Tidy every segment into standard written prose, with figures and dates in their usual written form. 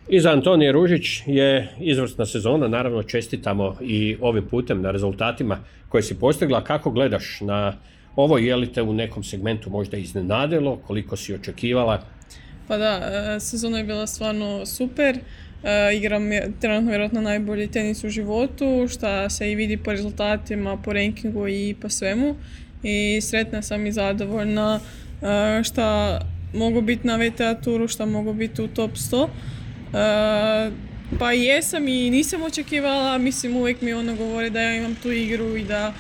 I za Antonije Ružić je izvrsna sezona, naravno čestitamo i ovim putem na rezultatima koje si postigla. Kako gledaš na ovo, je li te u nekom segmentu možda iznenadilo, koliko si očekivala? Pa da, sezona je bila stvarno super. Igram trenutno vjerojatno najbolji tenis u životu, što se i vidi po rezultatima, po rankingu i po svemu. I sretna sam i zadovoljna što mogu biti na VTA turu, što mogu biti u top 100. Pa jesam i nisam očekivala, mislim uvijek mi ono govori da ja imam tu igru i da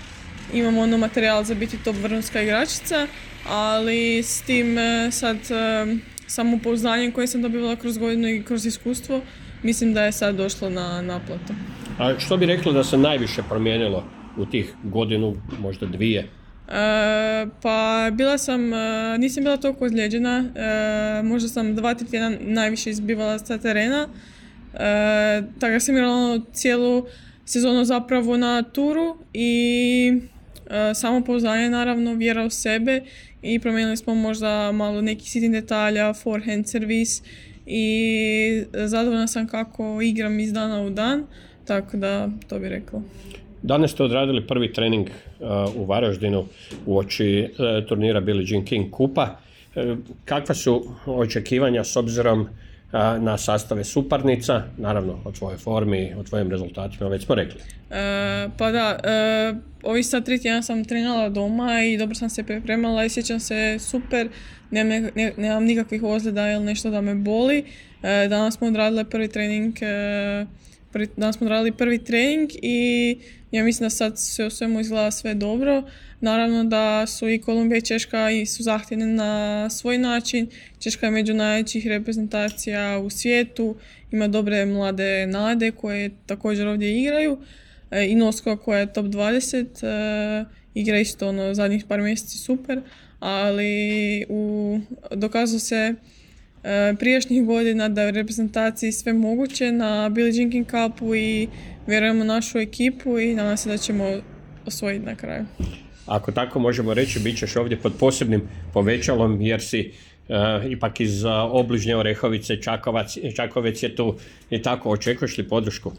imam ono materijal za biti top vrhunska igračica, ali s tim sad samopouzdanjem koje sam dobivala kroz godinu i kroz iskustvo, mislim da je sad došlo na naplatu. A što bi rekla da se najviše promijenilo u tih godinu, možda dvije? Pa nisam bila toliko ozlijeđena, možda sam 2-3 tjedna najviše izbivala sa terena, tako da sam igrala cijelu sezonu zapravo na turu i samopouzdanje naravno, vjera u sebe i promijenili smo možda malo nekih sitnih detalja, forehand, servis i zadovoljna sam kako igram iz dana u dan, tako da to bi rekla. Danas ste odradili prvi trening u Varaždinu uoči turnira Billie Jean King kupa. Kakva su očekivanja s obzirom na sastave suparnica, naravno o tvojoj formi, o tvojim rezultatima, već smo rekli. Pa da, ovih sad 3 tjedna sam trenala doma i dobro sam se pripremala i sjećam se super, nemam nikakvih ozljeda ili nešto da me boli. Danas smo odradili prvi trening i ja mislim da sad sve u svemu izgleda sve dobro. Naravno da su i Kolumbija i Češka su zahtjevne na svoj način. Češka je među najvećih reprezentacija u svijetu, ima dobre mlade nade koje također ovdje igraju. I Noskova koja je top 20, igra isto zadnjih par mjeseci super, ali dokazalo se prijašnjih godina da je u reprezentaciji sve moguće na Billie Jean King Cupu i vjerujemo našu ekipu i nadam se da ćemo osvojiti na kraju. Ako tako možemo reći, bit ćeš ovdje pod posebnim povećalom jer si ipak iz obližnje Orehovice, Čakovec je tu i tako. Očekuješ li podršku?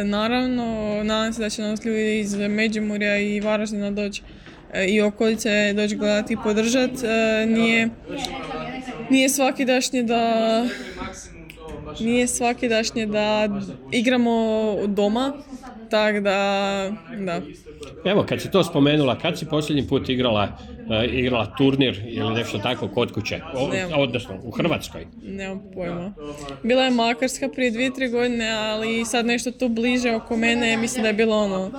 Naravno, nadam se da će nas ljudi iz Međimurja i Varaždina doći i okolice doći gledati i podržati. Nije svakidašnje da igramo doma, tako da. Evo, kad si to spomenula, kad si posljednji put igrala turnir ili nešto tako kod kuće, odnosno u Hrvatskoj? Nemam pojma. Bila je Makarska prije 2-3 godine, ali sad nešto tu bliže oko mene, mislim da je bilo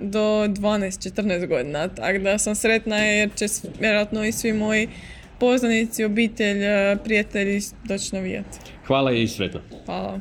do 12-14 godina, tako da sam sretna jer će vjerojatno i svi moji poznanici, obitelj, prijatelji doći navijati. Hvala i sretno. Hvala.